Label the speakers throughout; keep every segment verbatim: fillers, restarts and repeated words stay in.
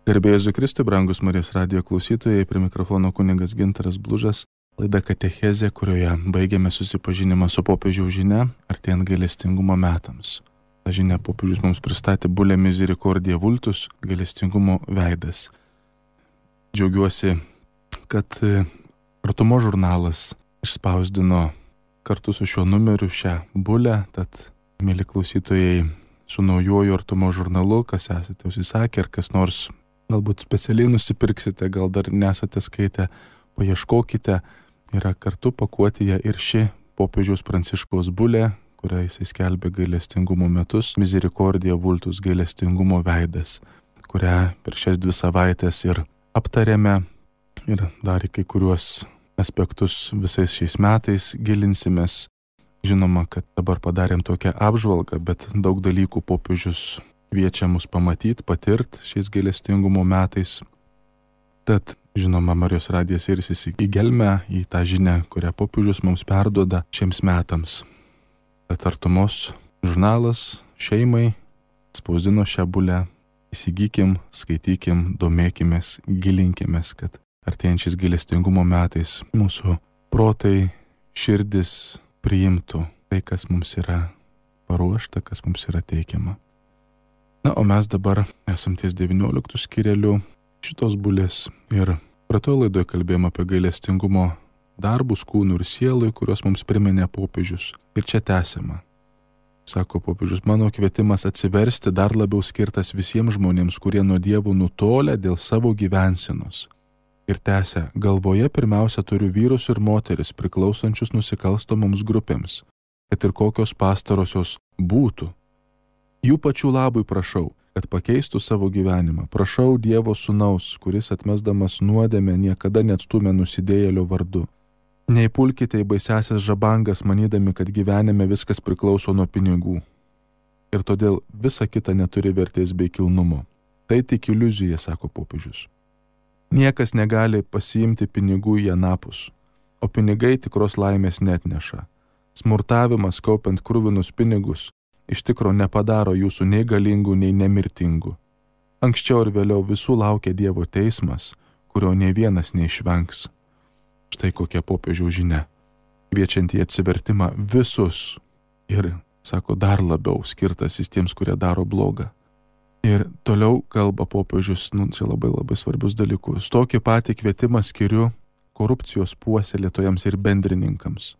Speaker 1: Garbė Jėzui Kristui, brangus Marijos radijo klausytojai, prie mikrofono kunigas Gintaras Blužas, laida Katechezė, kurioje baigiame susipažinimą su popiežiaus žinia, artėjant gailestingumo metams. Ta žinia popiežius mums pristatė Bulle Misericordiae Vultus, gailestingumo veidas. Džiaugiuosi, kad Artumo žurnalas išspausdino kartu su šiuo numeriu šią bulę, tad, mėly klausytojai, su naujoju Artumo žurnalu, kas esate užsisakę ir kas nors galbūt specialiai nusipirksite, gal dar nesate skaitę, paieškokite, yra kartu pakuotėje ir ši popiežiaus Pranciškaus bulė, kurią jisai skelbė gailestingumo metus, Misericordiae Vultus, gailestingumo veidas, kurią per šias dvi savaitės ir aptarėme ir dar į kai kuriuos aspektus visais šiais metais gilinsimės. Žinoma, kad dabar padarėm tokią apžvalgą, bet daug dalykų popiežius kviečia mus pamatyti, patirti šiais gailestingumo metais. Tad, žinoma, Marijos radijas ir į gelmę į tą žinią, kurią popiežius mums perduoda šiems metams. Tad Artumos žurnalas šeimai spausdino šią bulę. Įsigykim, skaitykim, domėkimės, gilinkimės, kad artėjančiais gailestingumo metais mūsų protai, širdis priimtų tai, kas mums yra paruošta, kas mums yra teikiama. Na, o mes dabar esam ties devynioliktų skyrelių šitos bulės ir praeitoje laidoje kalbėjome apie gailestingumo darbus kūnų ir sielui, kuriuos mums priminė popiežius. Ir čia tęsiama. Sako popiežius, mano kvietimas atsiversti dar labiau skirtas visiems žmonėms, kurie nuo Dievo nutolę dėl savo gyvensenos. Ir tęsia, galvoje pirmiausia turiu vyrus ir moteris priklausančius nusikalstamoms grupėms, kad ir kokios pastarosios būtų. Jų pačių labui prašau, kad pakeistų savo gyvenimą. Prašau Dievo sūnaus, kuris atmesdamas nuodėmę niekada neatstumė nusidėjėlio vardu. Neįpulkite į baisiasias žabangas, manydami, kad gyvenime viskas priklauso nuo pinigų. Ir todėl visa kita neturi vertės bei kilnumo. Tai tik iliuzija, sako popiežius. Niekas negali pasiimti pinigų į anapus, o pinigai tikros laimės neatneša. Smurtavimas kaupiant kruvinus pinigus iš tikro nepadaro jūsų nei galingų, nei nemirtingų. Anksčiau ir vėliau visų laukia Dievo teismas, kurio nei vienas neišvengs. Štai kokia popiežiaus žinia, kviečiant į atsivertimą visus ir, sako, dar labiau skirtas tiems, kurie daro blogą. Ir toliau kalba popiežius, nu, čia labai labai svarbius dalykus. Tokį patį kvietimą skiriu korupcijos puoselėtojams ir bendrininkams.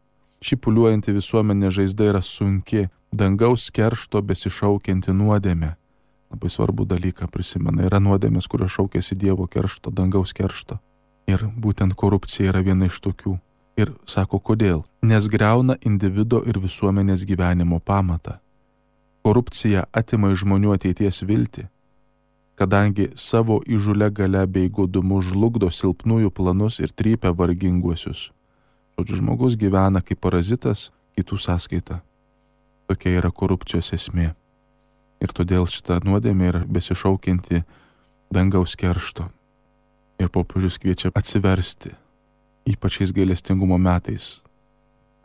Speaker 1: Ši pūliuojanti visuomenė žaizda yra sunki, dangaus keršto besišaukianti nuodėmė. Labai svarbų dalyką prisimena. Yra nuodėmės, kurios šaukėsi Dievo keršto, dangaus keršto. Ir būtent korupcija yra viena iš tokių. Ir sako, kodėl? Nes griauna individo ir visuomenės gyvenimo pamatą. Korupcija atima iš žmonių ateities viltį, kadangi savo įžūlia galia bei godumu žlugdo silpnųjų planus ir trypia varginguosius. Žodžiu, žmogus gyvena kaip parazitas kitų sąskaita. Tokia yra korupcijos esmė. Ir todėl šita nuodėmė yra besišaukianti dangaus keršto. Ir popiežius kviečia atsiversti, ypač šiais gailestingumo metais,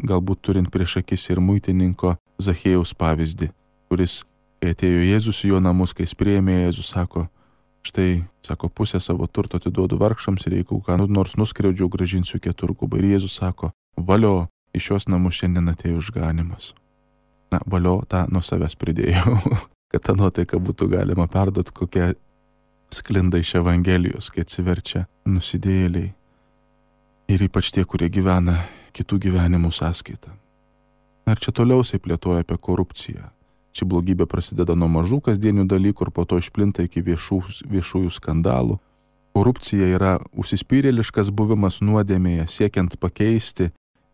Speaker 1: galbūt turint prieš akis ir muitininko Zachėjaus pavyzdį, kuris, kai atėjo Jėzus į jo namus, kai jis priėmė Jėzus, sako, štai, sako, pusę savo turto atiduodu vargšams ir jeigu ką nors nuskriaudžiau, gražinsiu keturgubą. Ir Jėzus sako, valio, iš šios namus šiandien atėjo išganimas. Na, valio, tą nuo savęs pridėjau, kad tą nuotaiką būtų galima perduoti, kokia sklinda iš Evangelijos, kai atsiverčia nusidėjėliai. Ir ypač tie, kurie gyvena kitų gyvenimų sąskaitą. Ir čia toliau jisai plėtoja apie korupciją. Ši blogybė prasideda nuo mažų kasdienių dalykų ir po to išplinta iki viešų, viešųjų skandalų. Korupcija yra užsispyrėliškas buvimas nuodėmėje, siekiant pakeisti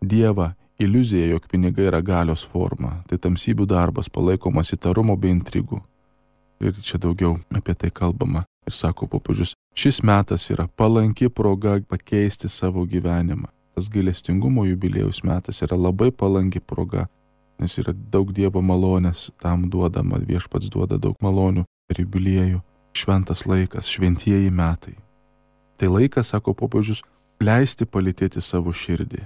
Speaker 1: Dievą, iliuzija, jog pinigai yra galios forma. Tai tamsybių darbas, palaikomas įtarumo bei intrigų. Ir čia daugiau apie tai kalbama. Ir sako popiežius, šis metas yra palanki proga pakeisti savo gyvenimą. Tas gailestingumo jubiliejaus metas yra labai palanki proga, nes yra daug Dievo malonės, tam duodama, viešpats duoda daug malonių per jubiliejų. Šventas laikas, šventieji metai. Tai laikas, sako popiežius, leisti palytėti savo širdį.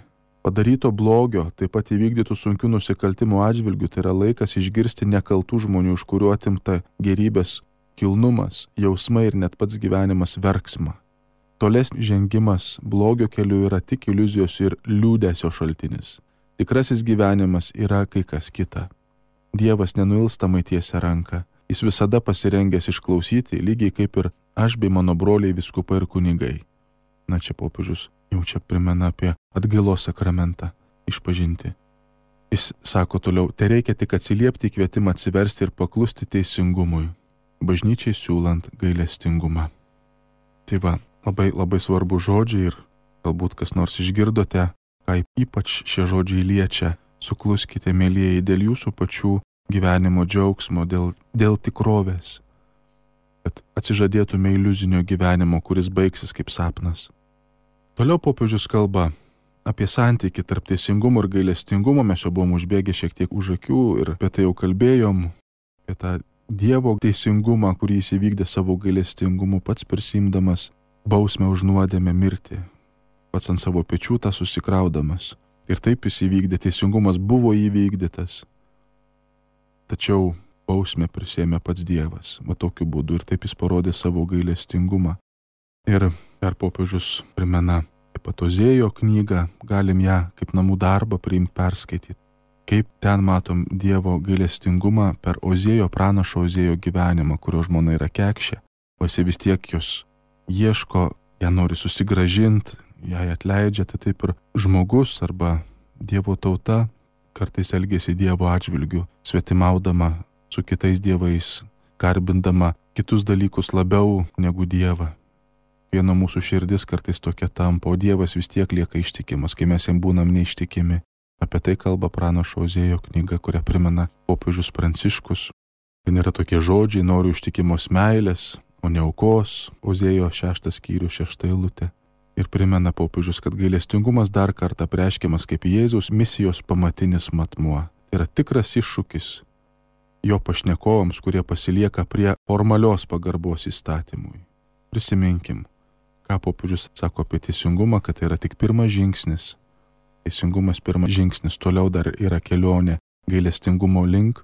Speaker 1: Padaryto blogio, taip pat įvykdytų sunkių nusikaltimų atžvilgių, tai yra laikas išgirsti nekaltų žmonių, iš kurių atimta gerybės kilnumas, jausmai ir net pats gyvenimas verksmą. Tolesnis žengimas blogio keliu yra tik iliuzijos ir liūdesio šaltinis. Tikrasis gyvenimas yra kai kas kita. Dievas nenuilstamai tiesia ranką. Jis visada pasirengęs išklausyti, lygiai kaip ir aš bei mano broliai vyskupai ir kunigai. Na čia popiežius jau čia primena apie atgailos sakramentą išpažinti. Jis sako toliau, tai reikia tik atsiliepti į kvietimą atsiversti ir paklusti teisingumui, bažnyčiai siūlant gailestingumą. Tai va, labai labai svarbu žodžiai ir galbūt kas nors išgirdote, ką ypač šie žodžiai liečia. Sukluskite, mėlyjeji, dėl jūsų pačių gyvenimo džiaugsmo, dėl, dėl tikrovės, kad atsižadėtume iliuzinio gyvenimo, kuris baigsis kaip sapnas. Toliau popiežius kalba apie santykį tarp teisingumo ir gailestingumo. Mes jau buvom užbėgę šiek tiek už akių ir apie tai jau kalbėjom, apie tą Dievo teisingumą, kurį jis įvykdė savo gailestingumu, pats prisimdamas bausmę už nuodėmę mirtį, pats ant savo pečių tą susikraudamas. Ir taip jis įvykdė, teisingumas buvo įvykdytas. Tačiau bausmę prisėmė pats Dievas, va tokiu būdu, ir taip jis parodė savo gailestingumą. Ir per popiežius primena taip pat Ozėjo knygą, galim ją kaip namų darbą priimti, perskaityti. Kaip ten matom Dievo gailestingumą per Ozėjo pranašo Ozėjo gyvenimą, kurio žmona yra kekšė, o jis vis tiek jos ieško, ją nori susigrąžinti, jai atleidžia, tai taip ir žmogus arba Dievo tauta kartais elgėsi Dievo atžvilgiu, svetimaudama su kitais dievais, garbindama kitus dalykus labiau negu Dievą. Viena mūsų širdis kartais tokia tampa, o Dievas vis tiek lieka ištikimas, kai mes jam būnam neištikimi. Apie tai kalba pranašo Ozėjo knyga, kurią primena popiežius Pranciškus. Ten yra tokie žodžiai, noriu ištikimos meilės, o ne aukos, Ozėjo šeštas skyrius, šešta eilutė. Ir primena popiežius, kad gailestingumas dar kartą apreiškiamas kaip Jėzaus misijos pamatinis matmuo. Tai yra tikras iššūkis jo pašnekovams, kurie pasilieka prie formalios pagarbos įstatymui. Prisiminkim, ką popiežius sako apie teisingumą, kad tai yra tik pirmas žingsnis. Teisingumas pirmas žingsnis, toliau dar yra kelionė gailestingumo link.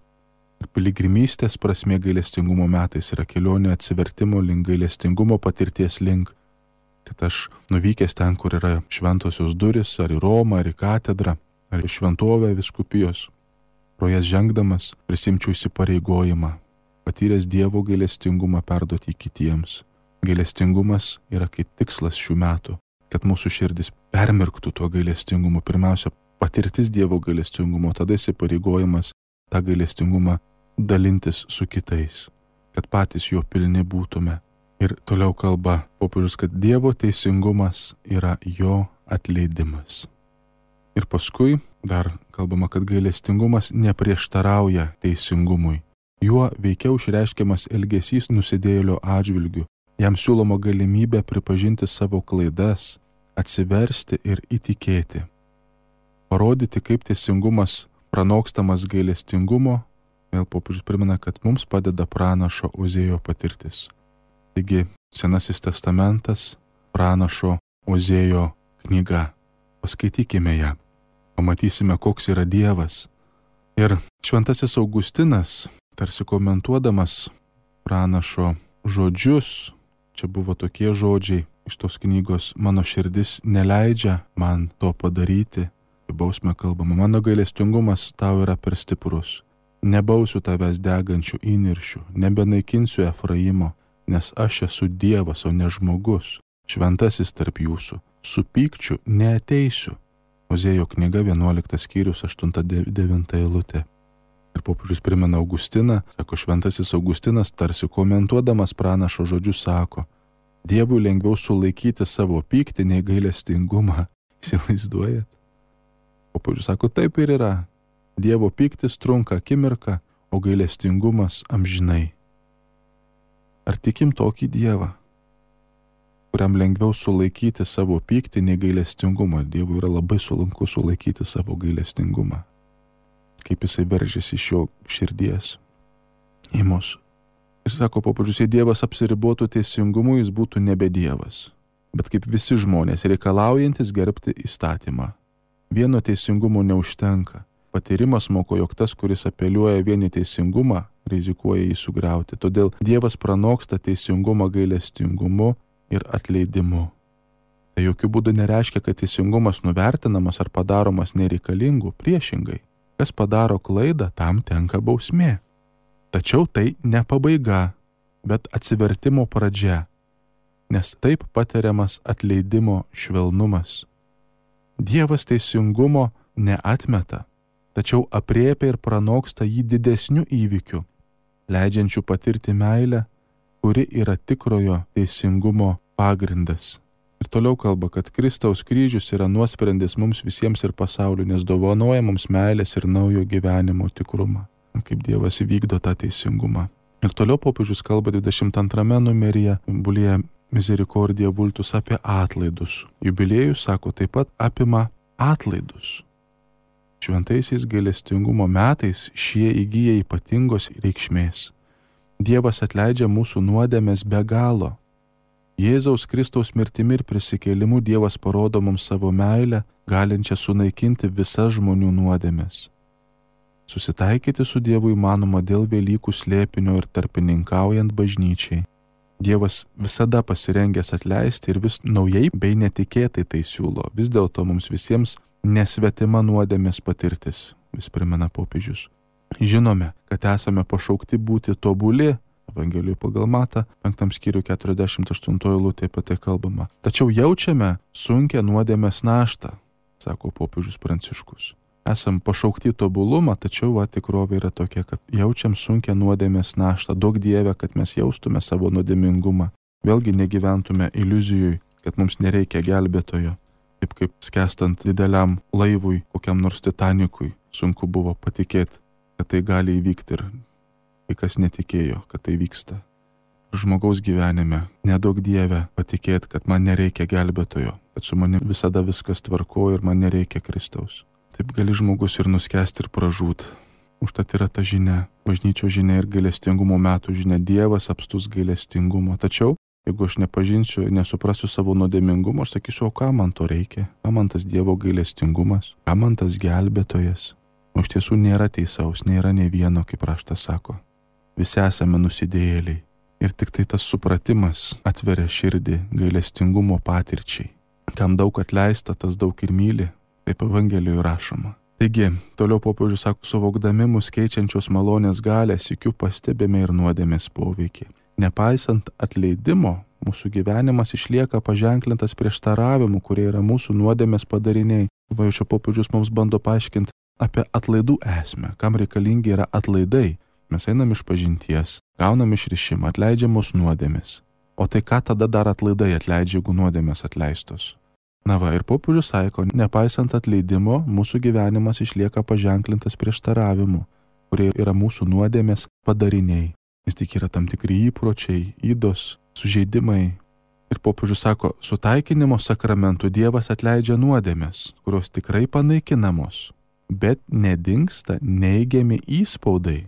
Speaker 1: Ir piligrimystės prasmė gailestingumo metais yra kelionė atsivertimo link, gailestingumo patirties link. Kad aš nuvykęs ten, kur yra šventosios duris, ar į Romą, ar į katedrą, ar į šventovę vyskupijos, pro jas žengdamas prisimčiau įsipareigojimą, patyręs Dievo gailestingumą perduoti kitiems. Gailestingumas yra kaip tikslas šių metų, kad mūsų širdis permirktų tuo gailestingumu. Pirmiausia, patirtis Dievo gailestingumo, tada įsipareigojimas tą gailestingumą dalintis su kitais, kad patys jo pilni būtume. Ir toliau kalba popiežius, kad Dievo teisingumas yra jo atleidimas. Ir paskui dar kalbama, kad gailestingumas neprieštarauja teisingumui. Juo veikiau išreiškiamas elgesys nusidėjėlio atžvilgiu. Jam siūloma galimybė pripažinti savo klaidas, atsiversti ir įtikėti. Parodyti, kaip teisingumas pranokstamas gailestingumo, vėl popiežius primena, kad mums padeda pranašo Ozėjo patirtis. Taigi, Senasis testamentas, pranašo Ozėjo knyga. Paskaitykime ją, pamatysime, koks yra Dievas. Ir šventasis Augustinas, tarsi komentuodamas pranašo žodžius, čia buvo tokie žodžiai iš tos knygos, mano širdis neleidžia man to padaryti, bausmė kalbama, mano gailestingumas tau yra per stiprus, nebausiu tavęs degančių įniršių, nebenaikinsiu Efraimo, nes aš esu Dievas, o ne žmogus, šventasis tarp jūsų, su pykčiu neateisiu. Ozėjo knyga vienuoliktas skyrius, aštunta devinta eilutė. Ir popiežius primena Augustiną, sako šventasis Augustinas, tarsi komentuodamas pranašo žodžius sako, Dievui lengviau sulaikyti savo pyktį nei gailestingumą. Įsivaizduojat? Popiežius sako, taip ir yra. Dievo pyktis trunka akimirką, o gailestingumas amžinai. Ar tikim tokį Dievą, kuriam lengviau sulaikyti savo pyktį nei gailestingumą? Dievui yra labai sunku sulaikyti savo gailestingumą. Kaip jisai veržiasi iš jo širdies į mus. Ir sako popiežius, jei Dievas apsiribotų teisingumu, jis būtų nebe Dievas, bet kaip visi žmonės reikalaujantis gerbti įstatymą. Vieno teisingumo neužtenka. patyrimas moko, jog tas, kuris apeliuoja vien į teisingumą, rizikuoja jį sugriauti. Todėl Dievas pranoksta teisingumą gailestingumu ir atleidimu. Tai jokių būdų nereiškia, kad teisingumas nuvertinamas ar padaromas nereikalingų, priešingai. Kas padaro klaidą, tam tenka bausmė. Tačiau tai ne pabaiga, bet atsivertimo pradžia, nes taip patiriamas atleidimo švelnumas. Dievas teisingumo neatmeta, tačiau apriepia ir pranoksta jį didesniu įvykiu, leidžiančiu patirti meilę, kuri yra tikrojo teisingumo pagrindas. Ir toliau kalba, kad Kristaus kryžius yra nuosprendis mums visiems ir pasauliu, nes dovanoja mums meilės ir naujo gyvenimo tikrumą, kaip Dievas įvykdo tą teisingumą. Ir toliau popiežius kalba dvidešimt antrame numeryje Bulia Misericordia Vultus apie atlaidus. Jubiliejus, sako, taip pat apima atlaidus. Šventaisiais gailestingumo metais šie įgyja ypatingos reikšmės. Dievas atleidžia mūsų nuodėmes be galo. Jėzaus Kristaus mirtimi ir prisikėlimu Dievas parodo mums savo meilę, galinčią sunaikinti visas žmonių nuodėmes. Susitaikyti su Dievu įmanoma dėl Velykų slėpinio ir tarpininkaujant bažnyčiai. Dievas visada pasirengęs atleisti ir vis naujai bei netikėtai tai siūlo. Vis dėlto mums visiems nesvetima nuodėmės patirtis, vis primena popiežius. Žinome, kad esame pašaukti būti tobuli. Evangelijų pagal Matą, penktam skyriui keturiasdešimt aštuntoji eilutė apie tai kalbama. Tačiau jaučiame sunkią nuodėmės naštą, sako popiežius Pranciškus. Esam pašaukti tobulumą, tačiau va, tikrovė yra tokia, kad jaučiam sunkią nuodėmės naštą. Duok Dieve, kad mes jaustume savo nuodėmingumą. Vėlgi negyventume iliuzijui, kad mums nereikia gelbėtojo. Taip kaip skęstant dideliam laivui, kokiam nors Titanikui, sunku buvo patikėti, kad tai gali įvykti ir kai kas netikėjo, kad tai vyksta. Žmogaus gyvenime nedaug Dieve patikėti, kad man nereikia gelbėtojo, kad su manimi visada viskas tvarko ir man nereikia Kristaus. Taip gali žmogus ir nuskęsti ir pražūt. Užtat yra ta žinia, bažnyčios žinia ir gailestingumo metų žinia. Dievas apstus gailestingumo. Tačiau, jeigu aš nepažinsiu, nesuprasiu savo nuodėmingumo, aš sakysiu, o ką man to reikia? Ką man tas Dievo gailestingumas? Ką man tas gelbėtojas? O iš tiesų nėra teisaus, nėra nei vieno, kaip raštas sako. Visi esame nusidėjėliai ir tik tai tas supratimas atveria širdį gailestingumo patirčiai. Kam daug atleista, tas daug ir myli, taip Evangelijoje rašoma. Taigi, toliau popiežius sako, suvokdami mus keičiančios malonės galę, sykiu pastebime ir nuodėmės poveikį. Nepaisant atleidimo, mūsų gyvenimas išlieka paženklintas prieštaravimu, kurie yra mūsų nuodėmės padariniai. Va, čia popiežius mums bando paaiškinti apie atlaidų esmę, kam reikalingi yra atlaidai. Mes einam iš pažinties, gaunam išrišimą, atleidžiamos nuodėmės. O tai ką tada dar atlaidai atleidžia, jeigu nuodėmės atleistos? Na va, ir popiežius sako, nepaisant atleidimo, mūsų gyvenimas išlieka paženklintas prieštaravimu, kurie yra mūsų nuodėmės padariniai. Vis tik yra tam tikri įpročiai, ydos, sužeidimai. Ir popiežius sako, su taikinimo sakramentu Dievas atleidžia nuodėmės, kurios tikrai panaikinamos, bet nedingsta neigiami įspaudai,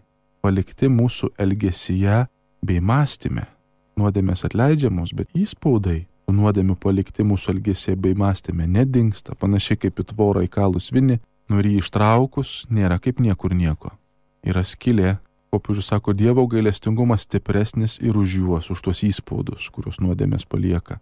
Speaker 1: palikti mūsų elgesyje bei mąstyme. Nuodėmės atleidžiamos, bet įspaudai nuodėmių palikti mūsų elgesyje bei mąstyme nedingsta, panašiai kaip į tvorą įkalus vinį, nori jį ištraukus, nėra kaip niekur nieko. Yra skylė, popiežius sako, Dievo gailestingumas stipresnis ir už juos, už tuos įspaudus, kuriuos nuodėmės palieka.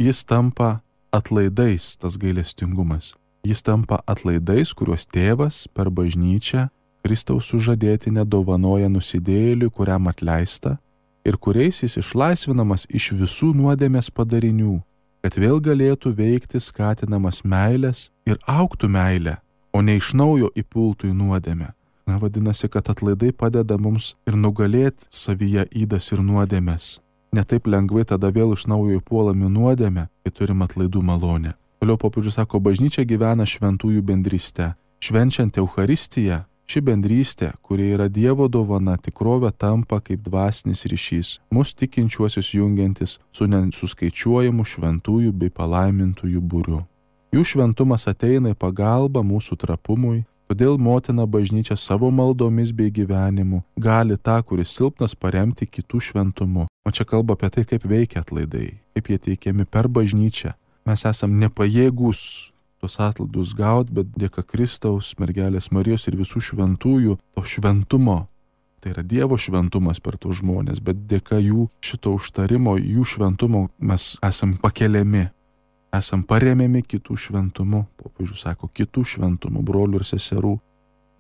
Speaker 1: Jis tampa atlaidais, tas gailestingumas. Jis tampa atlaidais, kuriuos tėvas per bažnyčią Kristaus sužadėtinė dovanoja nusidėjėliui, kuriam atleista, ir kuriais jis išlaisvinamas iš visų nuodėmės padarinių, kad vėl galėtų veikti skatinamas meilės ir augtų meilę, o ne iš naujo įpultų į nuodėmę. Na, vadinasi, kad atlaidai padeda mums ir nugalėti savyje ydas ir nuodėmės. Ne taip lengvai tada vėl iš naujo įpuolami nuodėmę, kai turim atlaidų malonę. Toliau popiežius sako, bažnyčia gyvena šventųjų bendryste. Švenčiant Eucharistiją, ši bendrystė, kuri yra Dievo dovana, tikrovė tampa kaip dvasinis ryšys, mus tikinčiuosius jungiantis su nesuskaičiuojamu šventųjų bei palaimintųjų būriu. Jų šventumas ateina į pagalbą mūsų trapumui, todėl motina bažnyčia savo maldomis bei gyvenimu gali tą, kuris silpnas, paremti kitų šventumu. O čia kalba apie tai, kaip veikia atlaidai, kaip jie teikiami per bažnyčią. Mes esam nepajėgūs tuos atlaidus gauti, bet dėka Kristaus, mergelės Marijos ir visų šventųjų to šventumo. Tai yra Dievo šventumas per tuos žmonės, bet dėka jų šito užtarimo, jų šventumo mes esam pakeliami, esam paremiami kitų šventumu. Popiežius sako, kitų šventumu, brolių ir seserų.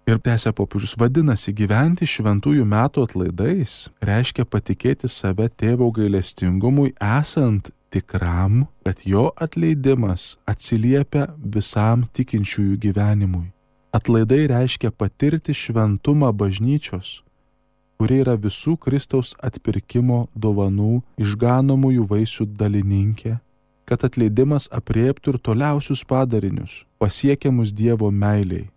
Speaker 1: Ir tęsia popiežius, vadinasi, gyventi šventųjų metų atlaidais reiškia patikėti save tėvo gailestingumui, esant tikram, kad jo atleidimas atsiliepia visam tikinčiųjų gyvenimui. Atlaidai reiškia patirti šventumą bažnyčios, kuri yra visų Kristaus atpirkimo dovanų išganomųjų vaisių dalininkė, kad atleidimas apriektų ir toliausius padarinius, pasiekiamus Dievo meiliai.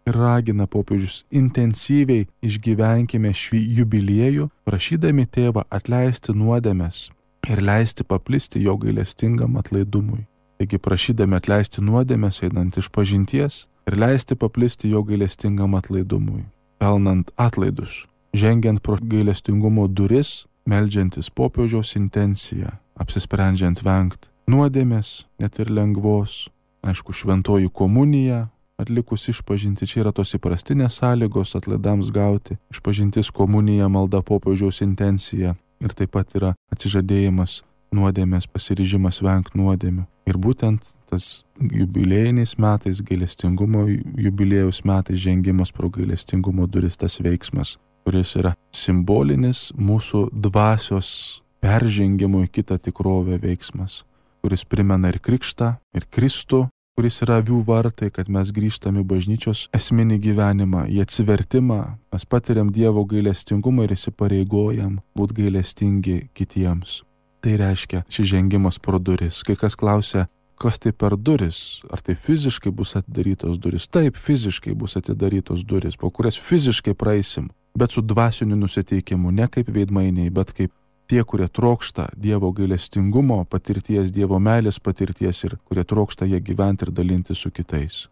Speaker 1: Ir ragina popiežius intensyviai išgyvenkime šį jubiliejų, prašydami tėvą atleisti nuodėmes ir leisti paplisti jo gailestingam atlaidumui. Taigi prašydami atleisti nuodėmes einant iš pažinties ir leisti paplisti jo gailestingam atlaidumui, pelnant atlaidus, žengiant pro gailestingumo duris, meldžiantis popiežiaus intenciją, apsisprendžiant vengti nuodėmės, net ir lengvos, aišku, šventoji komunija, atlikus išpažinti, čia yra tos įprastinės sąlygos atlaidams gauti, išpažintis, komunija, malda, popiežiaus intencija ir taip pat yra atsižadėjimas nuodėmės, pasiryžimas vengti nuodėmių. Ir būtent tas jubiliejiniais metais, gailestingumo jubiliejaus metais žengimas pro gailestingumo duris, tas veiksmas, kuris yra simbolinis mūsų dvasios peržengimo į kitą tikrovę veiksmas, kuris primena ir krikštą, ir Kristų, kuris yra avių vartai, kad mes grįžtame į bažnyčios esminį gyvenimą, į atsivertimą, mes patiriam Dievo gailestingumą ir įsipareigojam būti gailestingi kitiems. Tai reiškia šis žengimas pro duris. Kai kas klausia, kas tai per duris, ar tai fiziškai bus atidarytos duris? Taip, fiziškai bus atidarytos duris, po kurias fiziškai praeisim, bet su dvasiniu nusiteikimu, ne kaip veidmainiai, bet kaip tie, kurie trokšta Dievo gailestingumo patirties, Dievo meilės patirties ir kurie trokšta ją gyventi ir dalinti su kitais.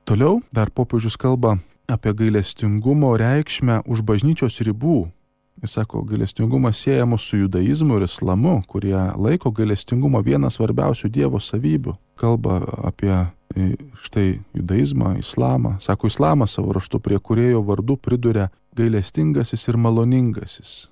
Speaker 1: Toliau dar popiežius kalba apie gailestingumo reikšmę už bažnyčios ribų. Ir sako, gailestingumas siejamas su judaizmu ir islamu, kurie laiko gailestingumą vieną svarbiausių Dievo savybių. Kalba apie štai judaizmą, islamą. Sako, islamas savo raštu prie kūrėjo vardų priduria gailestingasis ir maloningasis.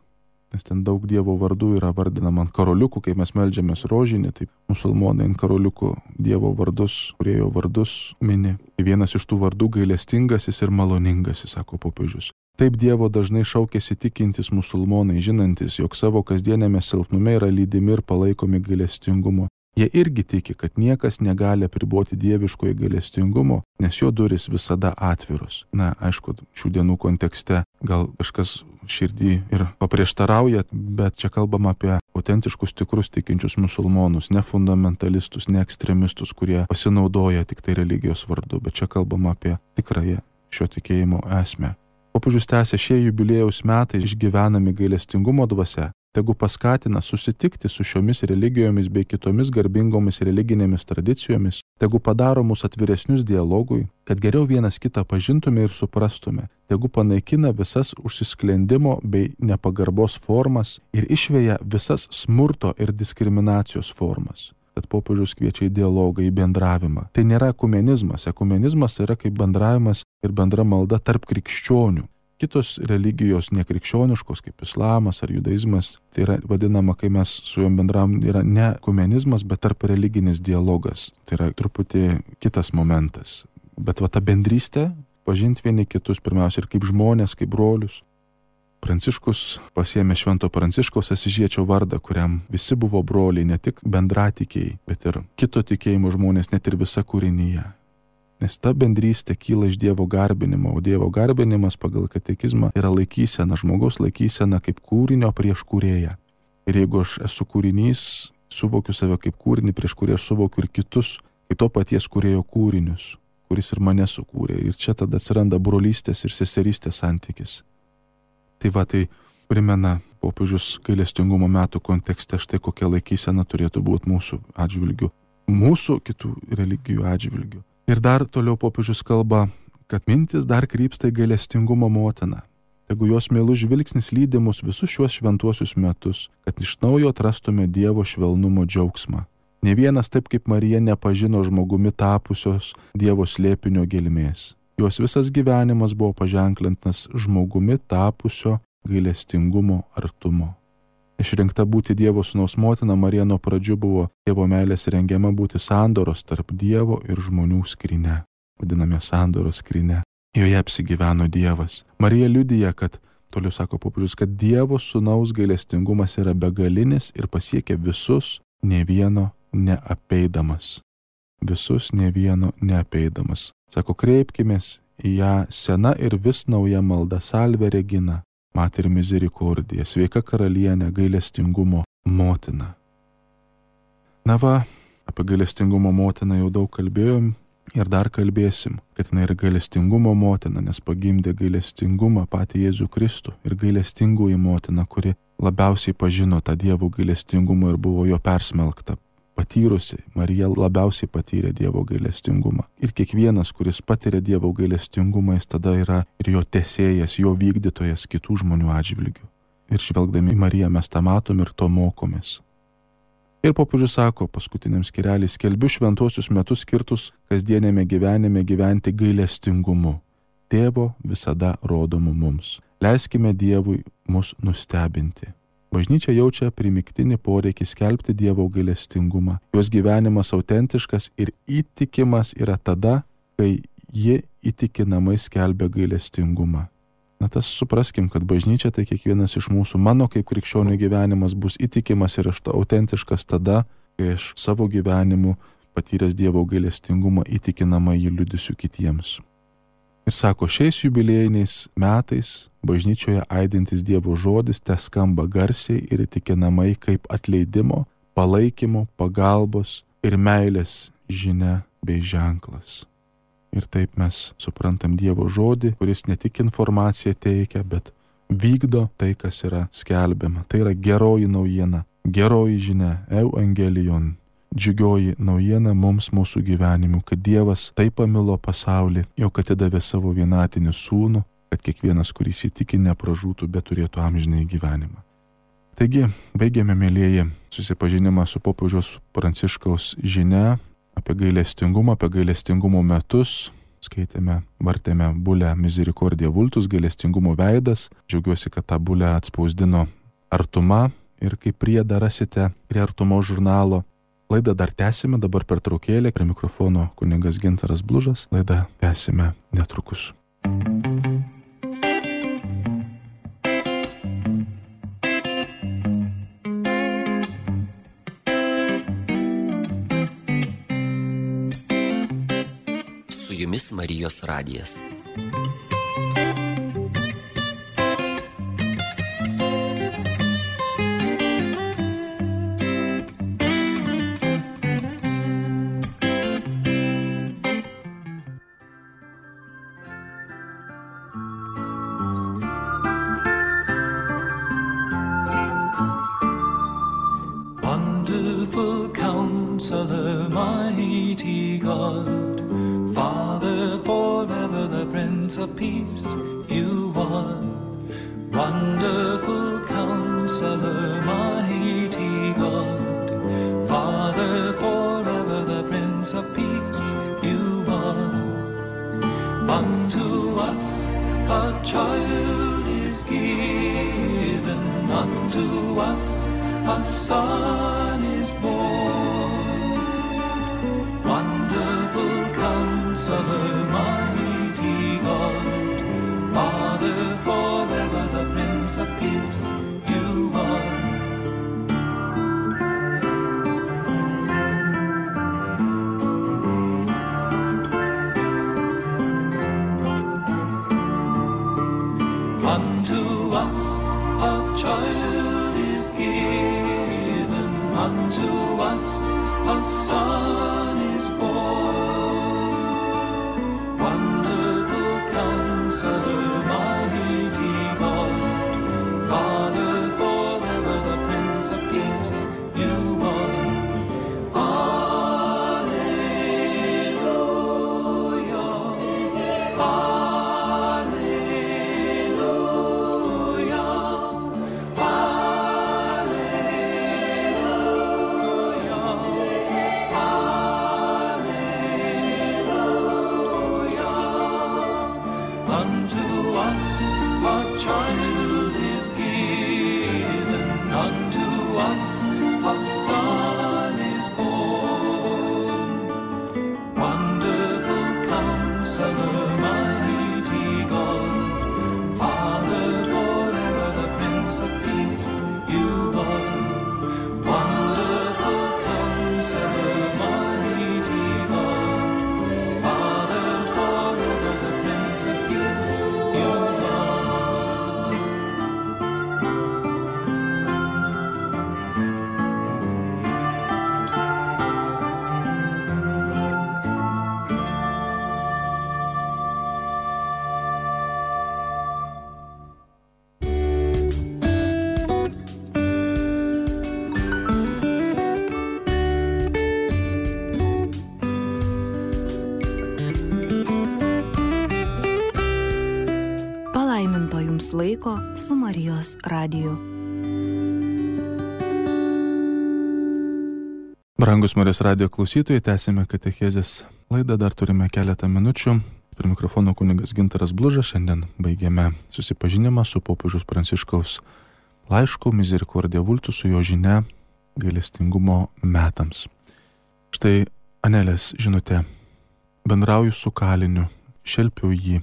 Speaker 1: Nes ten daug Dievo vardų yra vardinama ant karoliukų, kai mes meldžiamės rožinį, tai musulmonai ant karoliukų Dievo vardus, kūrėjo vardus mini. Vienas iš tų vardų gailestingasis ir maloningasis, sako popiežius. Taip Dievo dažnai šaukėsi tikintis musulmonai, žinantis, jog savo kasdienėme silpnume yra lydimi ir palaikomi gailestingumo. Jie irgi tiki, kad niekas negali apriboti dieviškojo gailestingumo, nes jo durys visada atviros. Na, aišku, šių dienų kontekste gal kažkas širdį ir paprieštarauja, bet čia kalbama apie autentiškus tikrus tikinčius musulmonus, ne fundamentalistus, ne ekstremistus, kurie pasinaudoja tik tai religijos vardu, bet čia kalbama apie tikrąją šio tikėjimo esmę. Popiežius tęsia, šie jubiliejaus metai išgyvenami gailestingumo dvasia, tegu paskatina susitikti su šiomis religijomis bei kitomis garbingomis religinėmis tradicijomis, tegu padaro mus atviresnius dialogui, kad geriau vienas kitą pažintume ir suprastume, tegu panaikina visas užsisklendimo bei nepagarbos formas ir išveja visas smurto ir diskriminacijos formas. Tad popiežius kviečia į dialogą, į bendravimą. Tai nėra ekumenizmas. Ekumenizmas yra kaip bendravimas ir bendra malda tarp krikščionių. Kitos religijos nekrikščioniškos, kaip islamas ar judaizmas, tai yra vadinama, kai mes su juom bendravom, yra ne ekumenizmas, bet tarp religinis dialogas. Tai yra truputį kitas momentas. Bet va ta bendrystė, pažinti vieni kitus pirmiausia ir kaip žmonės, kaip brolius. Pranciškus pasiėmė Švento Pranciškaus Asyžiečio vardą, kuriam visi buvo broliai, ne tik bendratikėjai, bet ir kito tikėjimo žmonės, net ir visa kūrinyje. Nes ta bendrystė kyla iš Dievo garbinimo, o Dievo garbinimas pagal katekizmą yra laikysena, žmogaus laikysena kaip kūrinio prieš kūrėją. Ir jeigu aš esu kūrinys, suvokiu save kaip kūrinį, prieš kurį aš suvokiu ir kitus, kaip to paties kūrėjo kūrinius, kuris ir mane sukūrė. Ir čia tada atsiranda brolystės ir seserystės santykis. Tai va, tai primena popiežius gailestingumo metų kontekste štai kokia laikysena turėtų būti mūsų atžvilgių, mūsų kitų religijų atžvilgių. Ir dar toliau popiežius kalba, kad mintis dar krypsta į gailestingumo motiną. Tegu jos meilus žvilgsnis lydi mus visus šiuos šventuosius metus, kad iš naujo atrastume Dievo švelnumo džiaugsmą. Ne vienas taip kaip Marija nepažino žmogumi tapusios Dievo slėpinio gelmės. Jos visas gyvenimas buvo paženklintas žmogumi tapusio gailestingumo artumo. Išrinkta būti Dievo sūnaus motina, Marija nuo pradžių buvo Dievo meilės rengiama būti sandoros tarp Dievo ir žmonių skryne, vadiname sandoros skryne. Joje apsigyveno Dievas. Marija liudija, kad, toliau sako popiežius, kad Dievo sūnaus gailestingumas yra begalinis ir pasiekia visus, ne vieno neapeidamas. Visus ne vieno neapeidamas. Sako, kreipkimės į ją sena ir vis nauja malda Salve Regina, Mater Misericordija, sveika karalienė, gailestingumo motina. Na va, apie gailestingumo motiną jau daug kalbėjom ir dar kalbėsim, kad jinai yra gailestingumo motina, nes pagimdė gailestingumą patį Jėzų Kristų ir gailestingoji motina, kuri labiausiai pažino tą Dievo gailestingumą ir buvo jo persmelkta. Patyrusi, Marija labiausiai patyrė Dievo gailestingumą. Ir kiekvienas, kuris patiria Dievo gailestingumą, jis tada yra ir jo tesėjas, jo vykdytojas kitų žmonių atžvilgių. Ir žvelgdami į Mariją mes tą matom ir to mokomės. Ir popiežius sako paskutiniam skyrelį, skelbiu šventuosius metus skirtus kasdienėme gyvenime gyventi gailestingumu. Tėvo visada rodomu mums. Leiskime Dievui mus nustebinti. Bažnyčia jaučia primygtinį poreikį skelbti Dievo gailestingumą. Jos gyvenimas autentiškas ir įtikimas yra tada, kai ji įtikinamai skelbia gailestingumą. Na tas supraskim, kad bažnyčia tai kiekvienas iš mūsų, mano kaip krikščionių gyvenimas bus įtikimas ir autentiškas tada, kai aš savo gyvenimu patyręs Dievo gailestingumą įtikinamai jį liudysiu kitiems. Ir sako, šiais jubiliejiniais metais bažnyčioje aidintis Dievo žodis te skamba garsiai ir įtikinamai kaip atleidimo, palaikymo, pagalbos ir meilės žinia bei ženklas. Ir taip mes suprantam Dievo žodį, kuris ne tik informaciją teikia, bet vykdo tai, kas yra skelbiama. Tai yra geroji naujiena, geroji žinia, evangelion. Džiugioji naujiena mums mūsų gyvenimu, kad Dievas taip pamilo pasaulį, jog atidavė savo vienatinį sūnų, kad kiekvienas, kuris įtiki, nepražūtų, bet turėtų amžinąjį gyvenimą. Taigi, baigėme, mėlyjeji, susipažinimą su popiežiaus Pranciškaus žinia apie gailestingumą, apie gailestingumo metus. Skaitėme, vartėme bulę Misericordia Vultus, gailestingumo veidas. Džiaugiuosi, kad tą bulę atspausdino Artuma ir kaip priedą rasite prie Artumo žurnalo. Laidą dar tęsime, dabar pertraukėlė, prie mikrofono kunigas Gintaras Blužas, laidą tęsime netrukus.
Speaker 2: Su jumis Marijos radijas.
Speaker 3: Wonderful Counselor, mighty God, Father forever, the Prince of Peace, you are. Wonderful Counselor, mighty God, Father forever, the Prince of Peace, you are. Unto us a child is given, unto us a son is born. Wonderful Counselor, mighty God, Father forever, the Prince of Peace, you are. Unto us a child is given, unto us a son is born. Wonderful Counselor, mighty God, Father forever, the Prince of Peace, you are. Alleluia. child is given, unto us a son is born. Wonderful Counselor, mighty God, Father forever, the Prince of Peace, you are. Wonderful Counselor, mighty God, Father forever, the Prince of Peace, you are.
Speaker 4: Palaiminto jums laiko su Marijos radiju.
Speaker 1: Brangus Marijos radijo klausytojai, tęsime katechezės laidą, dar turime keletą minučių. Prie mikrofono kunigas Gintaras Blužas, šiandien baigėme susipažinimą su popiežiaus Pranciškaus laišku Misericordia Vultus, su jo žinia gailestingumo metams. Štai Anelės žinutė. Bendrauju su kaliniu, šelpiu jį.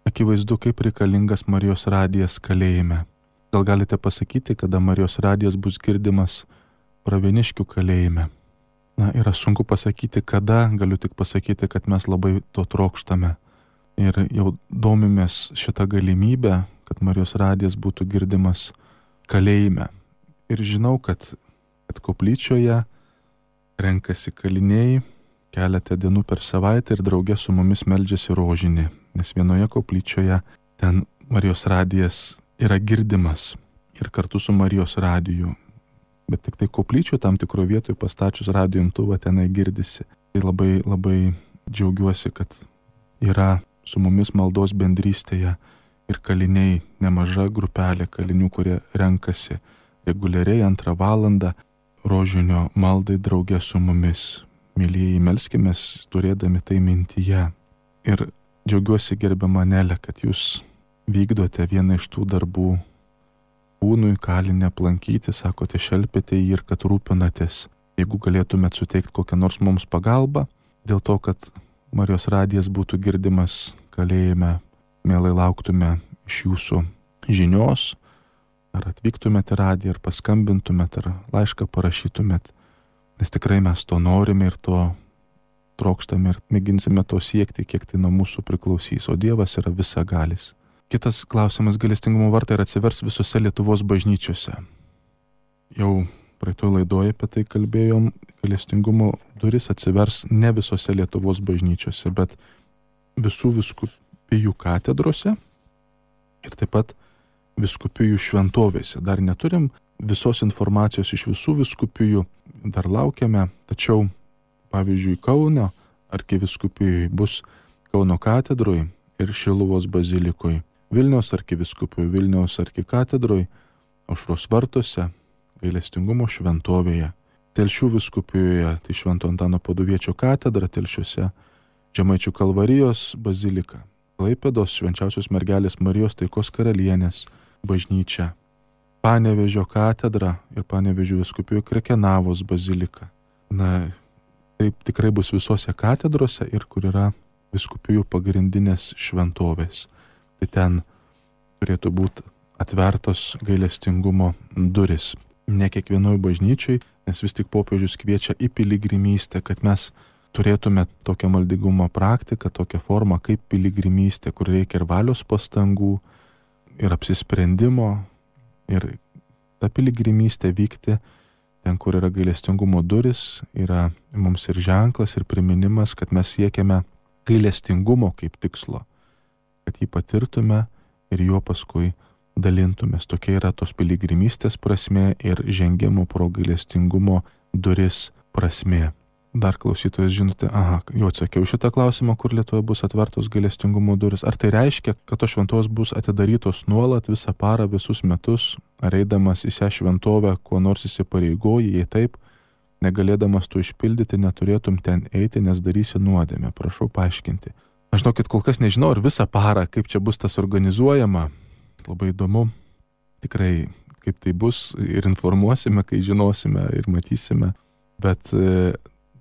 Speaker 1: Akivaizdu, kaip reikalingas Marijos radijas kalėjime. Gal galite pasakyti, kada Marijos radijas bus girdimas Pravieniškių kalėjime? Na, yra sunku pasakyti, kada, galiu tik pasakyti, kad mes labai to trokštame. Ir jau domimės šitą galimybę, kad Marijos radijas būtų girdimas kalėjime. Ir žinau, kad, kad koplyčioje renkasi kaliniai keletą dienų per savaitę ir drauge su mumis meldžiasi rožinį, nes vienoje koplyčioje ten Marijos radijas yra girdimas ir kartu su Marijos radiju. Bet tik tai koplyčių tam tikro vietoje pastačius radijo imtuvą tenai girdisi. Tai labai, labai džiaugiuosi, kad yra su mumis maldos bendrystėje ir kaliniai, nemaža grupelė kalinių, kurie renkasi reguliariai antrą valandą rožinio maldai drauge su mumis. Mylieji, melskimės turėdami tai mintyje. Ir džiaugiuosi, gerbiama Anelė, kad jūs vykdote vieną iš tų darbų, kūnui kalinę aplankyti, sakote, šelpėte jį ir kad rūpinatės. Jeigu galėtumėt suteikti kokią nors mums pagalbą, dėl to, kad Marijos radijas būtų girdimas kalėjime, mielai lauktume iš jūsų žinios, ar atvyktumėte radiją, ar paskambintumėte, ar laišką parašytumėte. Nes tikrai mes to norime ir to trokštame ir mėginsime to siekti, kiek tai nuo mūsų priklausys, o Dievas yra visagalis. Kitas klausimas, gailestingumo vartai ir atsivers visose Lietuvos bažnyčiose. Jau praeitoje laidoje apie tai kalbėjom, gailestingumo duris atsivers ne visose Lietuvos bažnyčiose, bet visų vyskupijų katedrose ir taip pat vyskupijų šventovėse. Dar neturim visos informacijos iš visų vyskupijų, dar laukiame, tačiau pavyzdžiui Kauno arkivyskupijoje bus Kauno katedroje ir Šiluvos bazilikoje, Vilniaus arkivyskupijoje, Vilniaus arkikatedroje, Aušros vartuose, gailestingumo šventovėje, Telšių vyskupijoje, tai Švento Antano Paduviečio katedra Telšiuose, Žemaičių Kalvarijos bazilika, Klaipėdos Švenčiausios mergelės Marijos Taikos karalienės bažnyčia, Panevėžio katedra ir Panevėžio vyskupijoje Krekenavos bazilika. Na, taip tikrai bus visose katedrose ir kur yra vyskupijų pagrindinės šventovės. Tai ten turėtų būti atvertos gailestingumo duris. Ne kiekvienoj bažnyčiai, nes vis tik popiežius kviečia į piligrimystę, kad mes turėtume tokią maldingumo praktiką, tokią formą kaip piligrimystė, kur reikia ir valios pastangų, ir apsisprendimo, ir ta piligrimystė vykti ten, kur yra gailestingumo duris, yra mums ir ženklas, ir priminimas, kad mes siekiame gailestingumo kaip tikslo, kad jį patirtume ir juo paskui dalintumės. Tokia yra tos piligrimystės prasmė ir žengimo pro gailestingumo duris prasmė. Dar klausytojas žinote, aha, jau atsakiau šitą klausimą, kur Lietuvoje bus atvertos gailestingumo duris. Ar tai reiškia, kad tos šventos bus atidarytos nuolat visą parą, visus metus, ar eidamas į šią šventovę, kuo nors įsipareigoji, jei taip, negalėdamas to išpildyti, neturėtum ten eiti, nes darysi nuodėmę. Prašau paaiškinti. Aš žinokit, kol kas nežinau, ar visą parą, kaip čia bus tas organizuojama, Labai įdomu, tikrai kaip tai bus ir informuosime, kai žinosime ir matysime, bet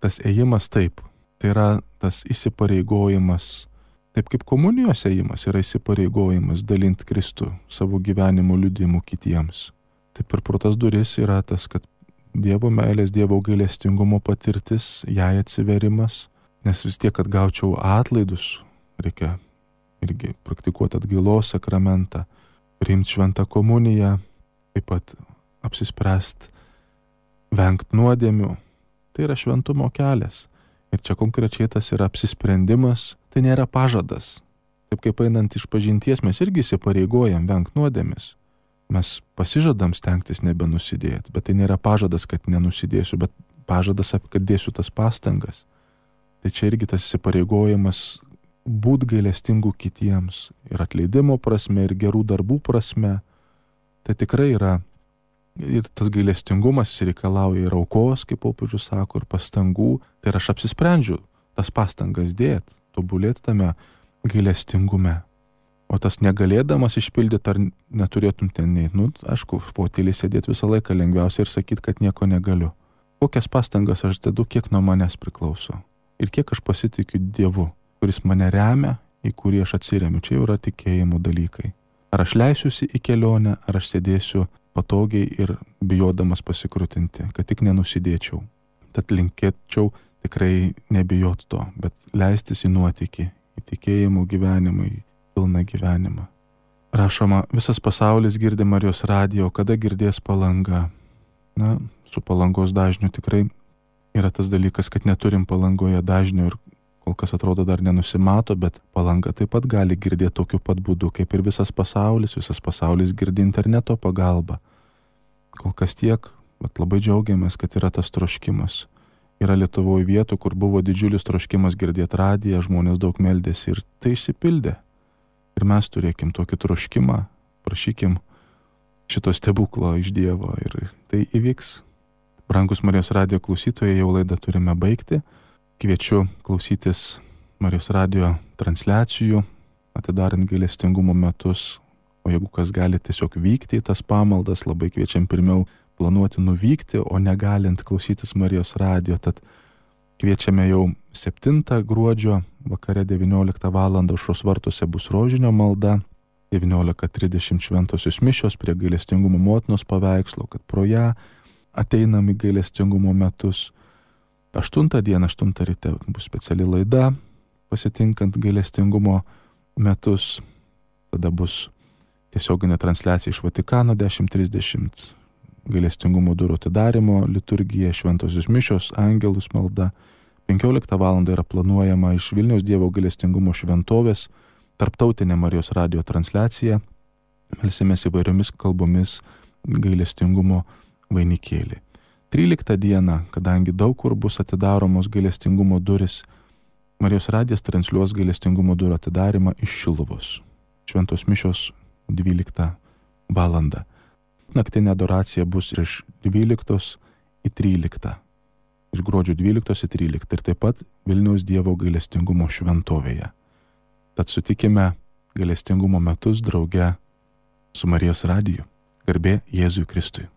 Speaker 1: tas ėjimas taip, tai yra tas įsipareigojimas, taip kaip komunijos ėjimas yra įsipareigojimas dalinti Kristų savo gyvenimo liudijimu kitiems. Taip ir pro tas duris yra tas, kad Dievo meilės, Dievo gailestingumo patirtis, jai atsiverimas, nes vis tiek, kad gaučiau atlaidus, reikia irgi praktikuoti atgailos sakramentą, priimti šventą komuniją, taip pat apsispręsti vengti nuodėmių. Tai yra šventumo kelias. Ir čia konkrečiai tas yra apsisprendimas, tai nėra pažadas. Taip kaip einant iš pažinties mes irgi įsipareigojam vengti nuodėmis. Mes pasižadam stengtis nebenusidėti, bet tai nėra pažadas, kad nenusidėsiu, bet pažadas, kad dėsiu tas pastangas. Tai čia irgi tas įsipareigojimas būt gailestingų kitiems ir atleidimo prasme, ir gerų darbų prasme. Tai tikrai yra, ir tas gailestingumas reikalauja ir aukos, kaip popiežius sako, ir pastangų. Tai aš apsisprendžiu tas pastangas dėti, tobulėti tame gailestingume. O tas negalėdamas išpildyti, ar neturėtum ten neiti, nu, aišku, fotelį sėdėti visą laiką lengviausia ir sakyti, kad nieko negaliu. Kokias pastangas aš dedu, kiek nuo manęs priklauso. Ir kiek aš pasitikiu Dievu, kuris mane remia, į kurį aš atsiremiu. Čia jau yra tikėjimo dalykai. Ar aš leisiuosi į kelionę, ar aš sėdėsiu patogiai ir bijodamas pasikrutinti, kad tik nenusidėčiau. Tad linkėčiau tikrai nebijot to, bet leistis į nuotykį, į tikėjimo gyvenimą, į pilną gyvenimą. Rašoma, visas pasaulis girdi Marijos radijo, kada girdės Palanga. Na, su Palangos dažniu tikrai yra tas dalykas, kad neturim Palangoje dažnių ir kol kas atrodo dar nenusimato, bet Palanga taip pat gali girdėti tokiu pat būdu, kaip ir visas pasaulis. Visas pasaulis girdi interneto pagalba. Kol kas tiek, bet labai džiaugiamės, kad yra tas troškimas. Yra Lietuvoje vietų, kur buvo didžiulis troškimas girdėti radiją, žmonės daug meldėsi ir tai išsipildė. Ir mes turėkim tokį troškimą, prašykim šito stebuklo iš Dievo ir tai įvyks. Brangus Marijos radijo klausytojai, jau laidą turime baigti. Kviečiu klausytis Marijos radijo transliacijų, atidarant gailestingumo metus. O jeigu kas gali tiesiog vykti į tas pamaldas, labai kviečiam pirmiau planuoti nuvykti, o negalint klausytis Marijos radijo. Tad kviečiame jau septintą gruodžio vakare devynioliktą valandą aušros vartuose bus rožinio malda, devyniolika trisdešimt šventosios mišios prie gailestingumo motinos paveikslo, kad pro ją ateinam į gailestingumo metus. Aštuntą dieną, aštuntą ryte bus speciali laida, pasitinkant gailestingumo metus. Tada bus tiesioginė transliacija iš Vatikano dešimt trisdešimt, gailestingumo durų atidarimo liturgija, šventosios mišios, angelus malda. penkioliktą valandą yra planuojama iš Vilniaus Dievo gailestingumo šventovės tarptautinė Marijos radijo transliacija. Melsimės įvairiomis kalbomis gailestingumo vainikėlį. tryliktą dieną, kadangi daug kur bus atidaromos gailestingumo duris, Marijos radijas transliuos gailestingumo durų atidarimą iš Šiluvos. Šventos mišios dvyliktą valandą. Naktinė adoracija bus iš dvyliktos į tryliktą. Iš gruodžio dvyliktos į tryliktą ir taip pat Vilniaus Dievo gailestingumo šventovėje. Tad sutikime gailestingumo metus drauge su Marijos radiju. Garbė Jėzui Kristui.